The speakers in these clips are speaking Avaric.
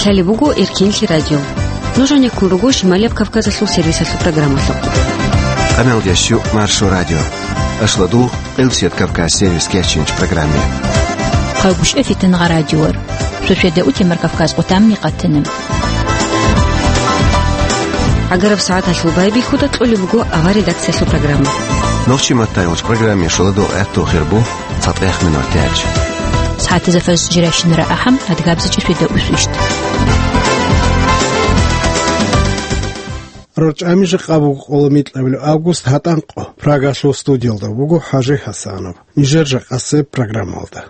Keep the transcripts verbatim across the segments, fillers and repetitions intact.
Лъалеб буго Эркинлъи радио. Нуж гьанеккун руго Шималияб Кавказалъул сервисалъул программалъухъ. Къамелдящу Маршо радио. Ашладул Къилсият Кавказ сервис кечинч программе. Хъагушев Фитнагъа радиор. Шошеда утемар Кавказ къутамни къатана. Агараб сагӀаталъул байбихьуда кьолеб буго авар редакциялъул программа. Нохчи матайулч программе шоладо гӀатту хирбу. ЦатӀех минутач. СагӀатазда фарз жирайщинара ахӀам, адгабзичӀи шведа усвищт. РорчӀами жакъа буго къоло микьабилеб август гьатӀанкъо. Прагалъул студиялда буго ХӀажи ХӀасанов. Нижер жакъасеб программалда.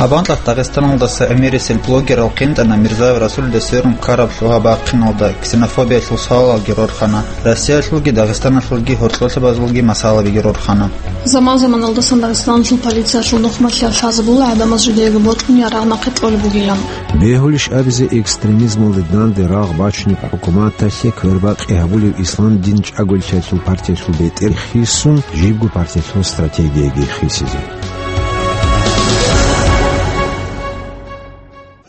Абанлъат Дагъистаналдаса гӀемерисел блогерал къинтӀана Мирзаев Расулида сверун ккараб лъугьа-бахъиналда, ксенофобиялъул суалалги рорхана, Россиялъулги Дагъистаналъулги гьоркьолъабазулги масъалабиги рорхана. Заман-заманалдасан Дагъистаналъул полициялъул нухмалъиялъ лъазабула гӀадамаз жидеего бокьун ярагъ нахъе кьолеб бугилан. Бегьулищ абизе, экстремизмалде данде рагъ бачунеб хӀукуматалъе квербакъи гьабулев ислам дин чӀаголъиялъул партиялъул бетӀер хисун, жибго партиялъул стратегияги хисизе.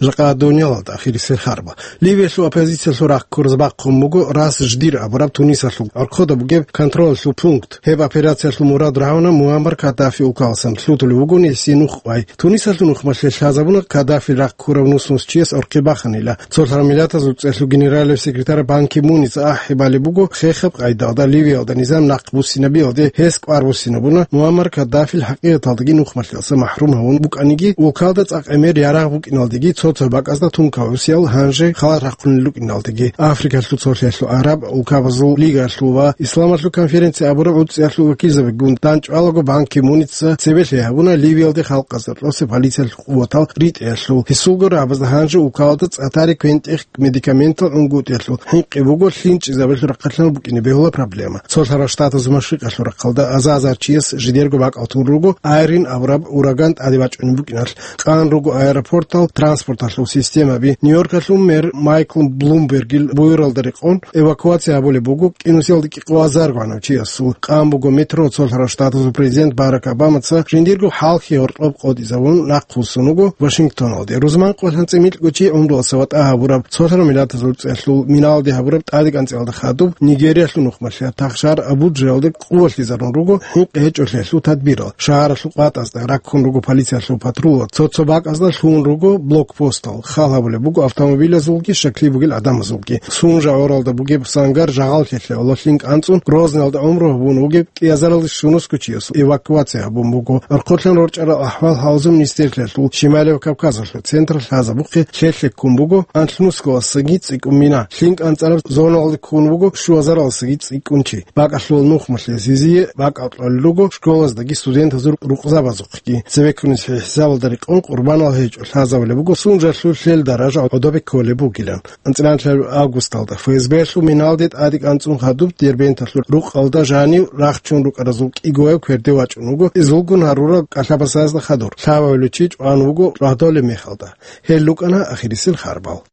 Жакъа дуниялалда ахирисел харба. Ливиялъул оппозициялъул рахъ ккураз бахъун буго Рас Ждир абураб Тунисалъул гӀорхъода бугеб контролалъул пункт. Гьеб операциялъул мурад рагӀуна Муаммар Каддафи улкаласан, лъутулев вугони гьесие нух къвай. Тунисалъул нухмалъе лъазабуна Каддафил рахъ ккурав нусмусчияс орхъи баханила. Цолъарав Миллатазул ЦӀелъул генералияб секретарь Бан Ки Муница ахӀи балеб буго, хехаб къайдалда Ливиялда низам нахъ буссинабиялде гьес кӀвар буссинабуна, Муаммар Каддафил хӀакъикъаталдаги нухмалъиялъа махрум гьавун букӀаниги, улкалда цӀакъ гӀемер ярагъ букӀиналдеги, цо-цо бакӀазда тункал гӀусиял гьанже халат рахъунел рукӀиналдеги. Африкалъул цолъиялъул, Араб улкабазул лигалъул ва Исламалъул конференция абураб гӀуцӀиялъул вакилзабигун дандчӀвалаго Бан Ки Муница цебе лъай гьабуна Ливиялде халкъазда кьосе полициялъул къуватал ритӀиялъул. Гьесулго рагӀабазда гьанже улкалда цӀа-тари квен-тӀех медикаментал унгутӀиялъул хӀинкъи буго лъинчӀизабилъ рахъалъан букӀине бегьула проблема. Цолъарал Штатазул машрикъалъул рахъалда аза-азарчияс жидерго бакӀал тун руго Айрин абураб ураган тӀаде бачӀунеб букӀиналъ. КӀан руго аэропортал транспорталъул системаби. Нью-Йоркалъул мэр Майкл Блумбергил буюралда рекъон эвакуация гьабулеб буго кӀинусиялда кӀикъоязарго гӀанав чиясул. КӀан буго метро цолъарал Штатазул президент Барак Обамаца жиндирго хӀалхьи гьоркьоб къотӀизавун нахъвуссун вуго Вашингтоналде. Рузман къо лъанцӀи микьго чи гӀумруялъ саватӀа гьабураб, цолъарал Миллатазул ЦӀелъул миналде гьабураб тӀаде кӀанцӀиялда хадуб Нигериялъул нухмалъиялъ Тахшар Абуджаялде къувалъизарун руго хӀинкъи гьечӀолъиялъул тадбирал. Шагьаралъул къватӀазда раккун руго полициялъул патрулал, цо-цо бакӀазда лъугьун руго блокпостал, хал гьабулеб буго автомобилазулги щаклъи бугел гӀадамазулги. Сунжа гӀоралда бугеб Сангар жагъал лъелъе лъин кӀанцӀун, Грозныйалда гӀумру гьабун вугеб кӀиазаралде щунусго чиясул эвакуация гьабун буго. Орхъолъан рорчӀарал ахӀвал-гьалзул министрлъиялъул Шималияб Кавказалъул центр лъазабухъе лъелъе ккун буго анлънусгоялдасаги цӀикӀкӀун мина, лъин кӀанцӀараб зоналде ккун буго щуазаралдасаги цӀикӀкӀун чи. БакӀалъул нухмалъе зизие бакӀал кьолел руго школаздаги студентазул рукъзабазухъги. Цебеккунес хӀисабалда рекъон къурбанал гьечӀо, лъазабулеб буго Сунжалъул лъел даража гӀодобе кколеб бугилан. АнцӀила августалда ФСБ-лъул миналде тӀаде кӀанцӀун хадуб Дербенталъул рукъалда жанив рахчун рукӀаразул кӀигояв кверде вачӀун вуго изулгун гьарурал кӀалъабасазда хадур. Лъабабилев чи чӀван вуго рагьдолеб мехалда. Гьел рукӀана ахирисел харбал.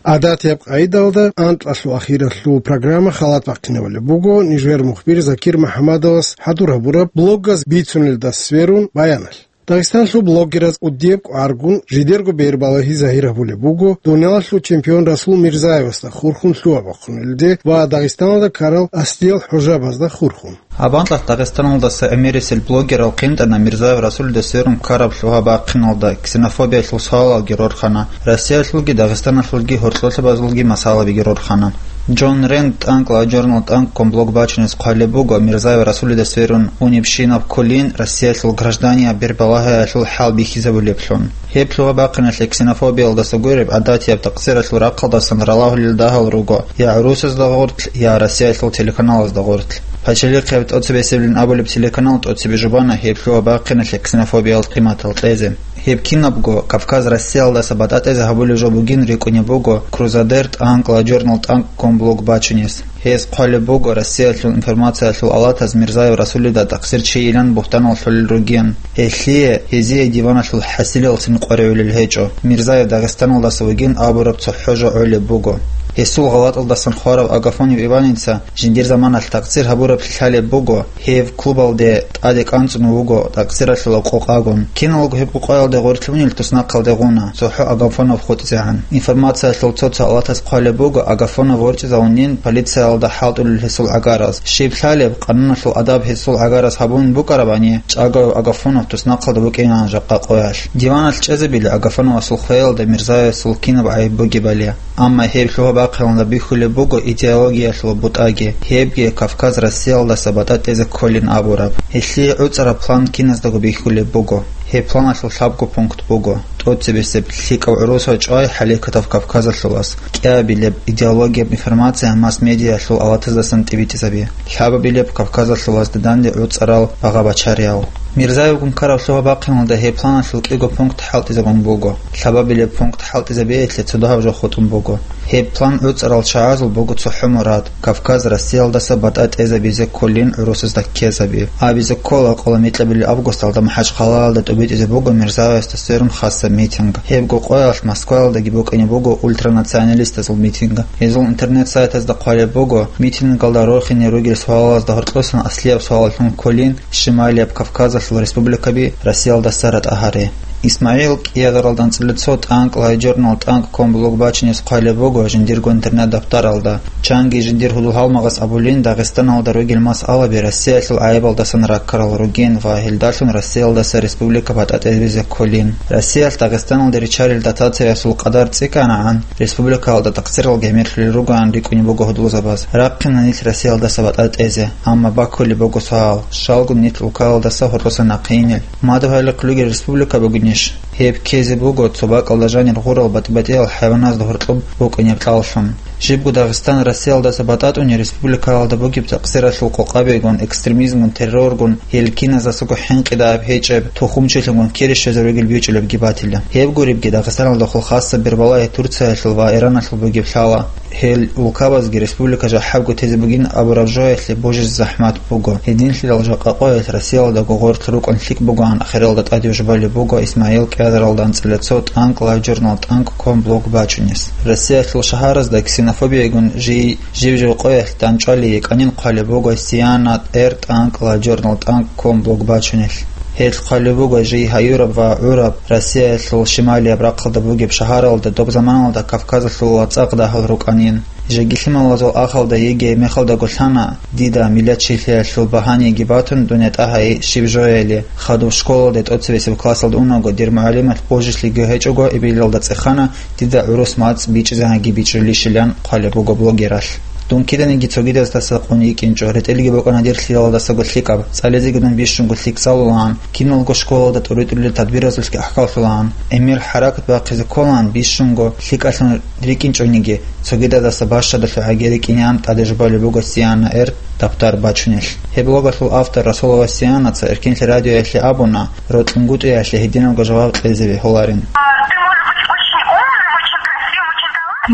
ГӀадатияб къайдалда анкьалъул ахиралъул программа халат бахъинабулеб буго нижер мухбир Закир МухӀаммадовас хӀадур гьабураб блогаз бицунелдаса сверун баяналъ. Дагъистанлъул блогераз кӀудияб кӀваргун жидерго бербалагьи загьир гьабулеб буго дуниялалъул чемпион Расул Мирзаевасда хурхун лъугьа-бахъунелде ва Дагъистаналда ккарал асдиял хӀужабазда хурхун. Абанлъат Дагъистаналдаса гӀемерисел блогерал къинтӀана Мирзаев Расулида сверун ккараб лъугьа-бахъиналда, ксенофобиялъул суалалги рорхана, Россиялъулги Дагъистаналъулги гьоркьолъабазулги масъалабиги рорхана. Джон Рент тӀанкӀла журнал тӀанкӀккун блог бачунес хъвалеб буго Мирзаев Расулида сверун унебщинаб кколин Россиялъул гражданияб бербалагьиялъул хӀал бихьизабулеблъун. Гьеб лъугьа-бахъиналъе ксенофобиялдаса гуреб гӀадатияб такъсиралъул рахъалдасан ралагьулел дагьал руго я гӀурусазда гъоркь, я Россиялъул телеканалазда гъоркь. Пачалихъе тӀоцебесеблъун абулеб телеканал тӀоцебе жубана гьеб лъугьа-бахъиналъе ксенофобиял къиматал кьезе. Гьеб кинабго Кавказ Россиялдаса батӀа-тӀезе гьабулеб жо бугин рикӀкӀунеб буго Крузадер тӀанкӀ ла журнал тӀанкӀ ком блог бачунес. Гьез хъвалеб буго Россиялъул информациялъул алатаз Мирзаев Расулида тӀахъсир чийилан бугьтанал лъолел ругин. Гьелъие, гьезие диваналъул хӀасилалцин къваригӀулел гьечӀо. Мирзаев Дагъистаналдаса вугин абураб цохӀо жо гӀолеб буго. Гьесул гъалатӀалдасан хварав Агафонов Иваница жиндир заманалъ тӀахъсир гьабураб лъалеб буго, гьев клубалде тӀаде кӀанцӀун вуго тӀахъсиралъула къокъагун. Киналго гьеб къокъаялде гъорлъунел туснахъалде гъуна, цохӀо Агафонов хутӀизегӀан. Информациялъул цо-цо алатаз хъвалеб буго, Агафонов ворчӀизавунин полициялда хӀалтӀулел гьесул гӀагараз. Щиб лъалеб, къануналъул адаб гьесул гӀагараз гьабун букӀарабани, чӀаго Агафонов туснахъалда букӀинан жакъа къоялъ. Диваналъ чӀезабили Агафоновасул хвеялда Мирзаевасул кинаб гӀайиб бугебали. Амма гьеб лъугьа-бахъиналда бихьулеб буго идеологиялъул бутӀаги, гьебги Кавказ Россиялдаса батӀа-тӀезе кколин абураб. Гьелъие гӀуцӀараб план киназдаго бихьулеб буго. Гьеб планалъул лъабго пункт буго: тӀоцебесеб лъикӀав гӀурусав чӀвай хӀалекатав Кавказалъулас, кӀиабилеб идеологияб информация масс-медиаялъул алатаздасан тӀибитӀизаби, лъабабилеб Кавказалъулазда данде гӀуцӀарал багъа-бачариял. Мирзаевгун ккараб лъугьа-бахъиналда гьеб планалъул кӀиго пункт хӀалтӀизабун буго. Лъабабилеб пункт хӀалтӀизабиялъе цо дагьаб жо хутӀун буго. Гьеб план гӀуцӀарал чагӀазул буго цохӀо мурад: Кавказ Россиялдаса батӀа тӀезабизе кколин гӀурусазда ккезаби. Абизе ккола, къола микьабилеб августалда МахӀачхъалаялда тӀубитӀизе буго Мирзаевасда сверун хасаб митинг. Гьебго къоялъ Москваялдаги букӀине буго ультранационалистазул митинг. Гьезул интернет-сайтазда хъвалеб буго, митингалда рорхине ругел суалазда гьоркьосан аслияб суаллъун кколин Шималияб Кавказалъул республикаби Россиялдаса ратӀа гьаре. ИсмагӀил кӀиазаралда анцӀила цо тӀанкӀ лайджорнал тӀанкӀ ком блог бачунес хъвалеб буго жиндирго интернет-даптаралда. Чанги жиндир гьудул-гьалмагъас абулин, Дагъистаналда ругел масъалаби Россиялъул гӀайибалдасан раккарал ругин ва гьелдалъун Россиялдаса республика батӀа тӀезабизе кколин. Россиялъ Дагъистаналде риччарел дотациясул къадар цӀикӀкӀанагӀан, республикаялда тахсирал гӀемерлъулел ругоан рикӀкӀунеб буго гьудулзабаз. Рахъина нилъ Россиялдаса батӀа тӀезе, амма баккулеб буго суал: щалгун нилъ улкаялдаса гьоркьоса нахъе инел? Мадугьалихъ ругел республика бугинищ? Гьеб ккезе буго цо бакӀалда жанир гъурал батӀи-батӀиял хӀайваназда гьоркьоб букӀунеб кьаллъун. Жибго Дагъистан Россиялдаса батӀатӀуни республикаялда бугеб такъсиралъул къокъабигун, экстремизмгун, терроргун, гьел киназасаго хӀинкъидааб гьечӀеб, тухумчилъунгун кире щвезаригел бичӀчӀулебги батила. Гьеб гуребги, Дагъистаналдехул хасаб бербалагьи Турциялъул ва Ираналъул бугеб лъала. Гьел улкабазги республика жахӀабго тезе бугин абураб жоялъе божизе захӀмат буго. Гьединлъидал жакъа къоялъ Россиялдаго гъорлъ рукӀун лъикӀ бугоан ахиралда тӀаде жубалеб буго ИсмагӀил кӀиазаралда анцӀила цо тӀанкӀ лайджорнал тӀанкӀ ком блог бачунес. Россиялъул шагьаразда ксенофобиягун жий жив-жив къоялъ дандчӀвали йикӀанин хъвалеб буго Сиана эр тӀанкӀ лайджорнал тӀанкӀ ком блог бачунелъ. Гьелъ хъвалеб буго жий гьаюраб ва гӀураб Россиялъул шималияб рахъалда бугеб шагьаралда доб заманалда Кавказалъул вацӀа-дагьал рукӀанин. Жеги лъималазул ахалда йигей мехалдаго лъана, дида миллатчилъиялъул багьаниги батун, дунъя тӀагьай щиб жояли, хадуб школалде тӀоцебесеб классалда унаго, дир мугӀалималъ божилъиги гьечӀого, эбелалда цӀехана, дида гӀурус мацӀ бичӀчӀизегӀанги бичӀчӀулищилан хъвалеб буго блогералъ. Дун киданиги цогидаздаса къун йикӀинчӀо, ретӀелиги букӀана дир лъиялдасаго лъикӀаб, цӀализеги дун бищунго лъикӀ цӀалулаан, киналго школалда тӀуритӀулел тадбиразулъги ахӀкаллъулаан, гӀемер хӀаракат бахъизе кколаан бищунго лъикӀалъун рикӀинчӀониги, цогидадаса бащадалъухӀаги рикӀинеан тӀаде жубалеб буго Сиана эр даптар бачунелъ. Гьеб блогалъул автор Расулова Сианаца Эркенлъи радиоялъе абуна, рокьунгутӀиялъе гьединабго жаваб кьезе бегьуларин.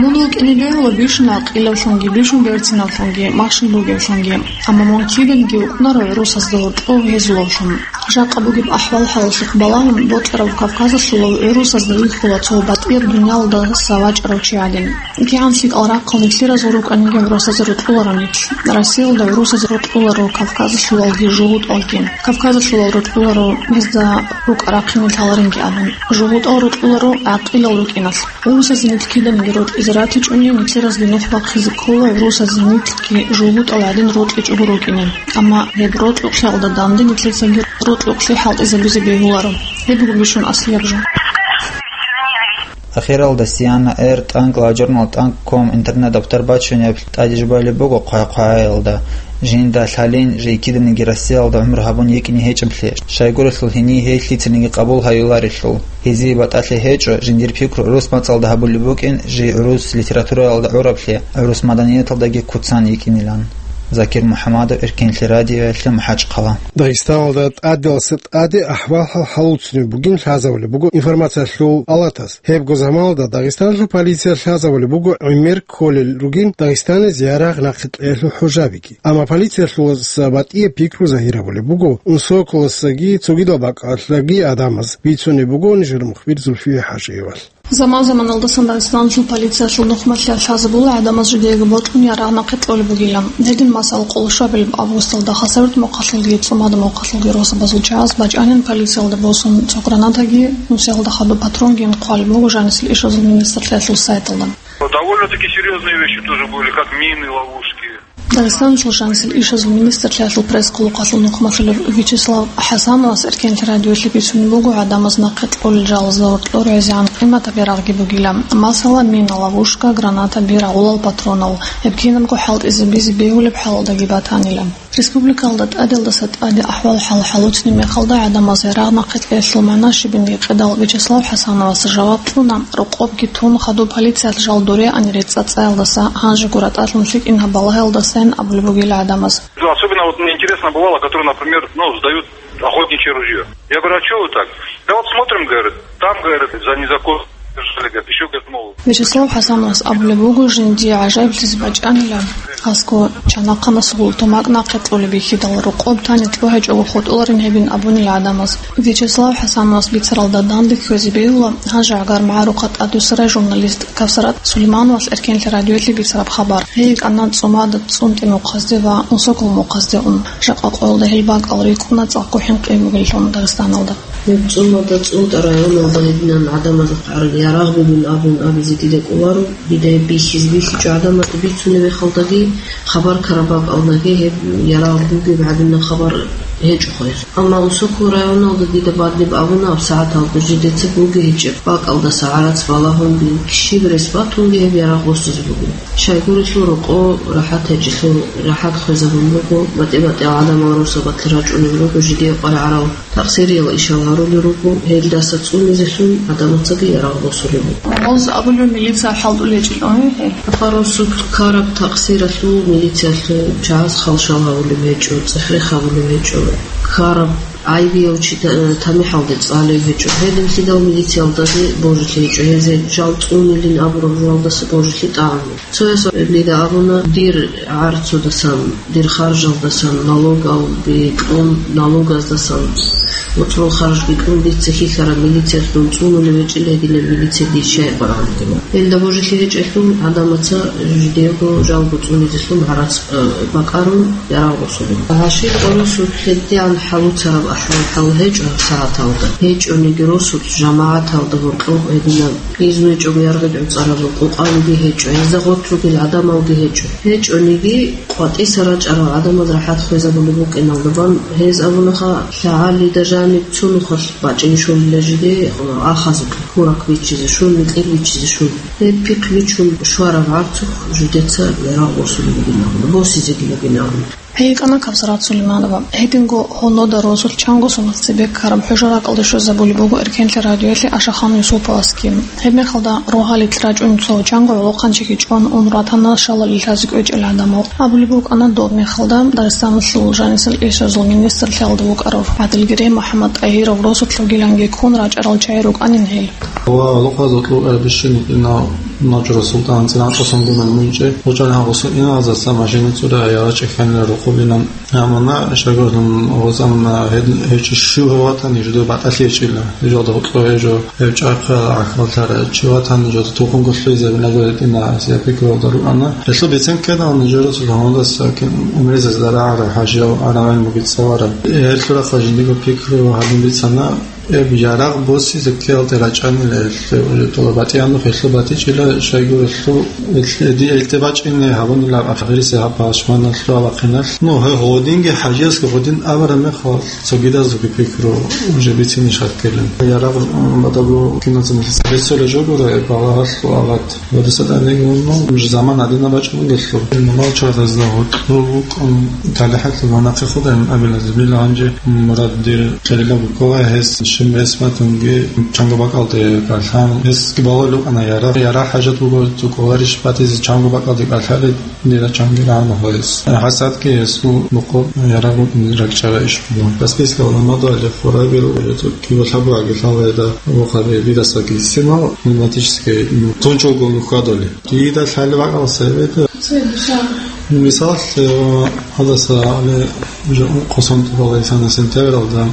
Мун вукӀине бегьула бищун гӀакъилавлъунги, бищун берцинавлъунги, махщел бугевлъунги. Амма мун киданиги вукӀунаро гӀурусазда гьоркьов гьезулавлъун. Жакъа бугеб ахӀвал-хӀалалъухъ балагьун, бокьараб Кавказалъулав гӀурусазда вихьула цо батӀияб дуниялалдаса вачӀарав чи гӀадин. КигӀан лъикӀал рахъал нилъеразул рукӀаниги гӀурусазе рокьуларо нилъ. Россиялда гӀурусазе рокьуларо Кавказалъулалги жугьутӀалги. Кавказалъулал рокьуларо гьезда рукӀа-рахъине лъаларинги абун. ЖугьутӀал рокьуларо гӀакъилал рукӀиналъ. ГӀурусазе нилъ киданиги рокьизе ратичӀони, нилъеразги нух бахъизе ккола гӀурусазе нилъги жугьутӀал гӀадин рокьичӀого рукӀине. Амма гьеб рокьукълъиялда данде нилъецаги рокьукълъи хӀалтӀизабизе бегьуларо. Гьеб буго бищун аслияб жо. Ахиралда Сиана эр тӀанкӀ лайджорнал тӀанкӀ ком интернет-даптар бачунеб тӀаде жубалеб буго хъвай-хъвагӀаялда. Жинда лъалин, жий киданиги Россиялда гӀумру гьабун йикӀине гьечӀеблъи, щайгурелъул гьенив гьей лъицаниги къабул гьаюларелъул. Гьезие батӀалъи гьечӀо, жиндир пикру гӀурус мацӀалда гьабулеб букӀин, жий гӀурус литератураялда гӀураблъи, гӀурус маданияталдаги куцан йикӀинилан. Закир МухӀамадов, Эркенлъи радиоялъе, МахӀачхъала. Дагъистаналда тӀаделаса тӀаде ахӀвал-хӀал хӀалуцунеб бугин лъазабулеб буго информациялъул палатас. Гьебго заманалда Дагъистаналъул полиция лъазабулеб буго гӀемер кколел ругин Дагъистаназе ярагъ нахъе кьеялъул хӀужабиги. Амма полициялъуласа батӀияб пикру загьирабулеб буго Унсоколасаги цогидал бакӀалъаги гӀадамаз. Бицунеб буго нижер мухбир Зульфия ХӀажиевал. Заман-заманалдасан Дагъистаналъул полициялъул нухмалъа лъазабула гӀадамаз жидеего бокьун ярагъ нахъе кьолеб бугилан. Гьедин, масала, къоло щуабилеб августалда Хасавюрт мухъалъулги ЦӀумада мухъалъулги росабазул чагӀаз бачӀанин полициялда босун цо гранатаги, нусиялда хадуб патронгин хъвалеб буго жанисел ишазул министрлъиялъул сайталда. Довольно-таки серьёзные вещи тоже были, как мины, ловушки. Дагъистаналъул жанисел ишазул министрлъиялъул пресс-къуллукъалъул нухмалъулев Вячеслав ХӀасановас Эркенлъи радиоялъе бицунеб буго гӀадамаз нахъе кьолел жалазда гьоркьор гӀезегӀан къиматаб ярагъги бугилан, масала, мина, ловушка, граната, биргӀ, гӀолал патронал. Гьеб кинабго хӀалтӀизабизе бегьулеб хӀалалдаги батанила. Республикалда тӀаделдаса тӀаде ахӀвал-хӀал хӀалуцни мехалда гӀадамаз ярагъ нахъе кьеялъул магӀна щибин гьикъидал, Вячеслав ХӀасановас жаваб кьуна, рокъобги тун, хадуб полициялъ жал дореани рецӀа-цӀаялдаса, гьанжего ратӀалъун лъикӀин гьаб балагьаялдасайин абулеб бугила гӀадамаз. Ну, особенно вот мне интересно бывало, которые, например, ну, сдают охотничье ружье. Я говорю: «А чё вы так?» «Да вот смотрим, говорит, там, говорит, за незаконно держали, говорит, ещё, говорит, мол». Вячеслав ХӀасановас абулеб буго, жиндие гӀажаиблъизе бачӀанила, асго чанахъанасул тумакъ нахъе кьолеб бихьидал, рокъоб тани тӀогьечӀого хутӀуларин гьебин абунила гӀадамаз. Вячеслав ХӀасановас бицаралда данде кквезе бегьула гьанже гӀагар магӀарухъа тӀадвуссарай журналист Кавсарат Сулеймановас Эркенлъи радиоялъе бицараб хабар. Гьей йикӀана ЦӀумада, ЦӀунтӀи мухъазде ва Унсокол мухъазде ун. Жакъа къоялда гьел бакӀал рикӀкӀуна цӀакъго хӀинкъи бугеллъун Дагъистаналда. Гьеб ЦӀумада, ЦӀунтӀа районалда гьединан гӀадамазухъ гьарун ярагъ бугин абун абизе дида кӀоларо, дида гьеб бихьизе бихьичӀо гӀадамазда бицунеб мехалдаги, хабар ккараб бакӀалдаги гьеб ярагъ бугеб гӀадинаб хабар гьечӀо хвезе. Амма Унсокол районалда дида бадиб абуна, аб сагӀаталда жидеца буги гьечӀеб бакӀалдаса гӀарац балагьун щиб рес батунги гьеб ярагъ босизе буго. Щайгурелъул рокъо рахӀат гьечӀелъул рахӀат хвезабун буго, батӀи-батӀиял гӀадамал росабалъе рачӀунел руго жидее къваригӀарал такъсириял ишал гьарулел руго, гьелдаса цӀунизелъун гӀадамацаги ярагъ босулеб буго. Гъоз абулев милиция хӀалтӀулел гьечӀелъул гьел. Гьаб росулъ ккараб такъсиралъул милициялъул чагӀаз халшал гьавулеб гьечӀо, цӀех-рех гьабулеб гьечӀо, ккараб гӀайибияв чи та-, тамихӀалде цӀалев гьечӀо. Гьединлъидал милициялдаги божилъи гьечӀо, гьезе жал цӀунилин абураб жоялдаса божилъи тӀагӀун. Цояс дида абуна, дир гӀарцудасан, дир харжалдасан, налогал бикьун, налогаздасан моцӀрол харж бикьун, дица хьихьараб милициялъун цӀунулев гьечӀила гьединаб милиция дир щай къваригӀун вугилан. Гьелда божилъи гьечӀелъул гӀадамаца жидеего жалго цӀунизелъун гӀарац, э, бакӀарун ярагъ босулеб. Гьашил къоросулъ гьедигӀан хӀалуцараб ахӀвал-хӀал гьечӀо гьаб сагӀаталда. ГьечӀониги росулъ жамагӀаталда гьоркьоб гьединаб изну гьечӀого яргъи гӀуцӀараб къукъалиги гьечӀо, гьезда гъорлъ ругел гӀадамалги гьечӀо. ГьечӀониги къватӀиса рачӀарал гӀадамаз рахӀат хвезабулеб букӀиналда бан гьез абунаха, лъагӀалида жаниб цо нухалъ бачӀине щолила жиде ахазухъе, хьурак биччизе щун, микьир биччизе щун. Гьеб пихъ бичун щвараб гӀарцухъ жидеца ярагъ босулеб бугин абуна, босизеги бугин абуна. ГьейикӀана Кавсарат Сулейманова. Гьединго гьонода росулъ чанго соналъ цебе ккараб хӀужа ракӀалде щвезабулеб буго Эркенлъи радиоялъе Ашахан Юсуповасги. Гьебмехалда рогьалилъ рачӀун цо чанго гӀолохъанчиги чӀван ун ратана шалали лъазе кӀвечӀел гӀадамал. Абулеб букӀана доб мехалда Дагъистаналъул жанисел ишазул министрлъиялда вукӀарав ГӀадилгерей МухӀаммад-ТӀагьиров росулъ ругиланги ккун рачӀарал чагӀи рукӀанин гьел. Ва гьалухъа зокьул гӀербищун ина Ночро султӀан цӀинан тӀасан гунан мунчӀи, гъучӀалан гъусу иналзаса машина цӀура яла чӀехьанила рукъулинан. Амма на шагьурлъун гъусамна гьед-, гьечӀо щугьа ватани жидер батӀалъи гьечӀила. Жолда гьукьо гьечӀо, гьев чӀахъа гӀахьаллъара чи ватани жолда тухумго лъугьизабинаго гьедина асия пикруялда руана. Гьелъул бицен ккеда нижерасул гьавандаса кин умрезазда рагӀара хӀажияв аравен буги цӀалара. Гьелъурахъа жиндиго пикру гьадин бицана. Гьеб ярагъ босизе ккеялде рачӀанила гьелъе, уже тӀолаб батӀиянухъ гьелъул батичӀила, щайгурелъул гьелъе, ди гьелде бачӀине гьабунилаб ахирисе гьаб пашманалъул абахъиналъ. Ну, гьев гъодинги хӀажиясги гъодин абараб мехалъ, цогидазулги пикру уже бицине шаккилин. Ярагъ, м, бадабу киназа мисал беццола жогура, багьалъул агъат. Ва дисаданигун, ну, заман гьадинаб бачӀун бугелъул. Нумал чагӀазда гьоркьоб букӀун, талихӀалъул ванахъе худайин абилазибил гьанже мурад дир кьерила букӀула гьес. Чим рес батунги чанго бакӀалде кӀалъан, гьесги балулев вукӀана ярагъ. Ярагъ хӀажат буго цо кӀоларищ батизе чанго бакӀалде кӀалъалеб, дила чанги рагӀана гьес. ХӀасадги гьесул бухъо ярагъ ракӀчӀара иш буго. Каспийская гьалмагъалде хурабил киба лъабурагги лъалайда вохаби дидасаги синал пневматический тунчалго нухьадали. Дида лъалеб бакӀал цебеда. Мисал, э, гьадаса али жо-, хъусан тӀубала исана сентябралда,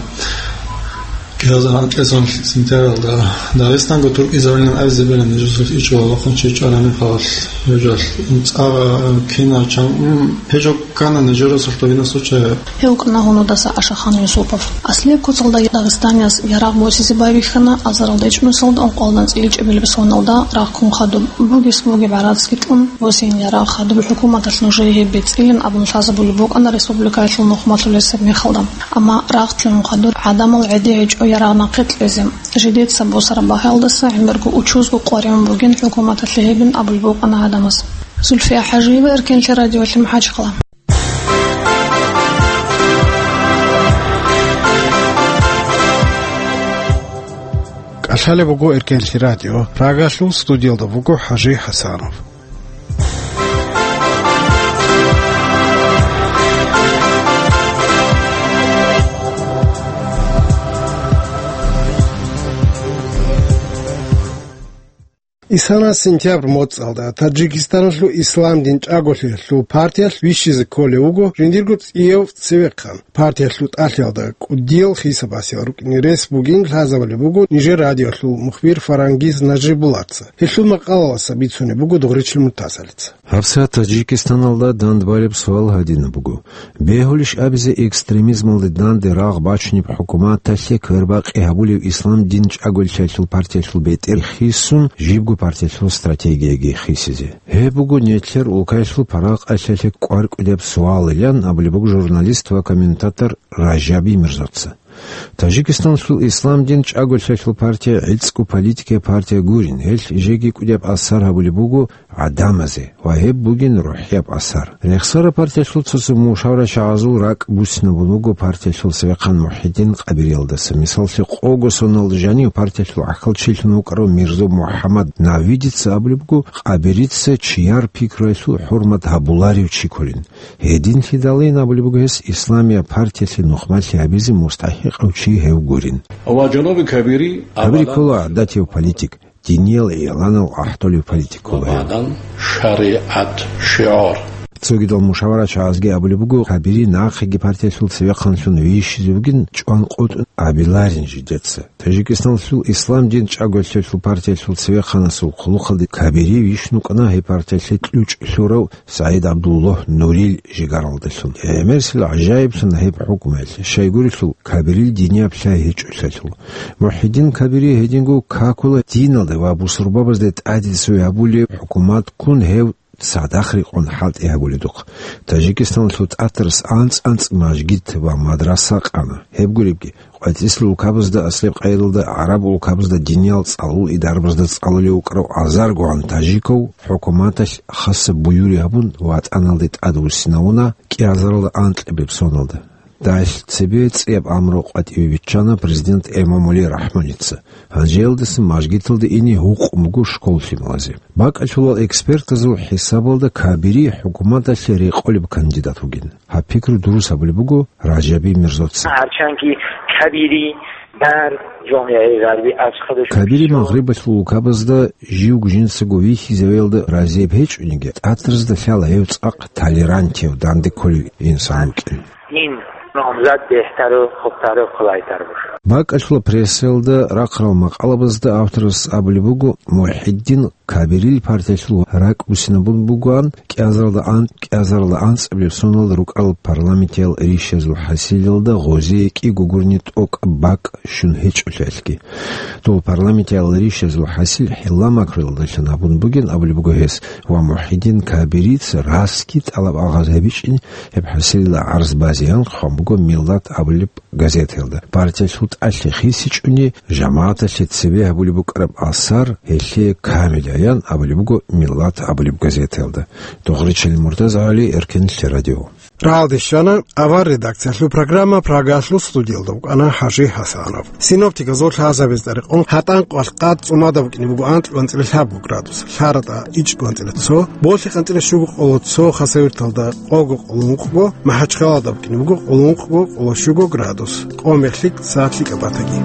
кӀиазар анкьасан сентябралда, Дагъистанго туркизабилан абизе беран нижусулъ ичӀо вахъун чи чӀарани халалъ гьежалъ. ЦӀагъа кина чан, м, гьежо ккана нижерасулъ довинасул чагӀи. Гьев вукӀана гьунудаса Ашахан Юсупов. Аслияб куцалда дагъистанияс ярагъ босизе байбихьана азаралда ичӀнусалда ункъоялда анцӀила чӀебилеб соналда рагъ ккун хадуб. Бугес бугеб гӀарацги тӀун, босин ярагъ хадуб хӀукуматалъ нужее гьеб бецӀилин абун лъазабулеб букӀана республикаялъул нухмалъулесеб мехалда. Амма рагъ лъугӀун хадур гӀадамал гӀеде гьечӀо ярагъ нахъе кьезе. Жидеца босараб багьаялдаса гӀемерго учузго къваригӀун бугин хӀукуматалъе гьебин абулеб букӀана гӀадамаз. Зульфия ХӀажиева, Эркенлъи радиолъи, МахӀачхъала. КӀалъалеб буго Эркенлъи радио. Прагалъул студиялда вуго ХӀажи ХӀасанов. Исана сентябрь моцӀалда Таджикистаналъул ислам дин чӀаголъиялъул партиялъ вищизе кколев вуго жиндирго цӀияв цевехъан. Партиялъул тӀалъиялда кӀудиял хисабасел рукӀине рес бугин лъазабулеб буго нижер радиолъул мухбир Фарангиз Нажибуллаца. Гьелъул макъалаласа бицунеб буго Дугъричил Муртазалица. ГьабсагӀат Таджикистаналда дандбалеб суал гьадинаб буго: бегьулищ абизе экстремизмалде данде рагъ бачунеб хӀукуматалъе квербакъи гьабулев ислам дин чӀаголъиялъул партиялъул бетӀер хисун, жибго партиялъул стратегияги хисизе? Гьеб буго нилъер улкаялъул паракъалъалъе кӀваркьудияб суалилан абулеб буго журналист ва комментатор Ражаби Мирзоца. Таджикистаналъул ислам дин чӀаголъиялъул партия гӀицӀго политикияб партия гурин, гьелъ жеги кӀудияб асар гьабулеб буго гӀадамазе ва гьеб бугин рухӀияб асар. Рехсара партиялъул цо-цо мушавра чагӀазул ракӀ буссинабун буго партиялъул цевехъан МухӀиддин Къабириялдаса. Мисаллъи, къого соналда жанив партиялъул гӀахьалчилъун вукӀарав Мирзо МухӀаммад Навидица абулеб буго, Къабирица чияр пикруялъул хӀурмат гьабуларев чи кколин. Гьединлъидалин абулеб буго гьес, исламияб партиялъе нухмалъи гьабизе мустахӀикъав чи гьев гурин. Ва жанаби Кабири Кабири абадан ккола гӀадатияв политик, диниял игӀланал ахӀдолев политик ккола гьев. Абадан шаригӀат шигӀар. Цогидал мушаварачагӀазги абулеб буго, Кабири нахъеги партиялъул цевехъанлъун вищизе вугин, чӀван къотӀун абиларин жидеца. Таджикистаналъул ислам дин чӀаголъиялъул партиялъул цевехъанасул хъулухъалде Кабири вищун вукӀана гьеб партиялъе кьучӀ лъурав СагӀид ГӀабдуллагь Нурил жигаралдалъун. ГӀемерисел гӀажаиблъана гьеб хӀукмуялъ, щайгурелъул Кабирил динияб лъай гьечӀолъиялъул. МухӀиддин Кабири гьединго какула диналда ва бусурбабазда тӀадиде цо гьабулеб хӀукумат ккун гьев цадахъ рекъон хӀалтӀи гьабуледухъ. Таджикистаналъул тӀатарас анцӀ-анцӀ мажгит ва мадраса къана. Гьеб гуребги, къватӀисел улкабазда, аслеб къайдалда гӀараб улкабазда диниял цӀалул идарабазда цӀалулев вукӀарав азаргогӀан таджиков хӀукуматалъ хасаб буюри гьабун, ватӀаналде тӀадвуссинавуна кӀиазаралда анкьабилеб соналда. Дагьалъ цебе цӀияб амру къватӀиве биччана президент Эмомали Рахмоница. Гьанже гьелдасан мажгиталде ине гьукъун буго школ лъималазе. БакӀалъулал экспертазул хӀисабалда Кабири хӀукуматалъе рекъолеб кандидат вугин. Гьаб пикру дурус гьабулеб буго Ражаби Мирзоца. Гьарчанги Кабири дар жамигӀи гъарби аз хадуш Кабири Магърибалъул улкабазда живго жинцаго вихьизавиялда разияб гьечӀониги, тӀатаразда лъала гьев цӀакъ толерантияв, данде кколев инсан вукӀин. Ин номзат бехтару, хубтару, къулайтар буш. БакӀалъула прессаялда рахъарал макъалабазда авторас абулеб буго, МухӀиддин Кабирил партиялъул ракӀ буссинабун бугоан, кӀиазаралда ан-, кӀиазаралда анцӀабилеб соналда рукӀарал парламентиял ришазул хӀасилалда гъозие кӀиго гурони тӀокӀаб бакӀ щун гьечӀолъиялъги. Дол парламентиял ришазул хӀасил хӀилла макруялдалъун гьабун бугин абулеб буго гьес, ва МухӀиддин Кабирица расги тӀалаб-алгъаз гьабичӀин гьеб хӀасилалда гӀарз базеян хъван буго Миллат абулеб газетаялда. Партиялъул тӀалъи хисичӀони, жамагӀаталъе цебе гьабулеб букӀараб асар гьелъие камилаян абулеб буго Миллат абулеб газетаялда. Дугъричил Муртазагьали, Эркенлъи радио. Рагьалде щвана авар редакциялъул программа, Прагаялъул студиялда вукӀана ХӀажи ХӀасанов. Синоптиказул лъазабазда рекъон, гьатӀан къвалъ къад цӀумада букӀине буго анкьго-анцӀила лъабго градус, ЛъаратӀа ичӀго-анцӀила цо, Болъихъ-анцӀила щуго-къоло цо, Хасавюрталда къого-къоло ункъго, МахӀачхъалада букӀине буго къоло ункъго-къоло щуго градус, къо-мех лъикӀ, сагӀат лъикӀаб батаги.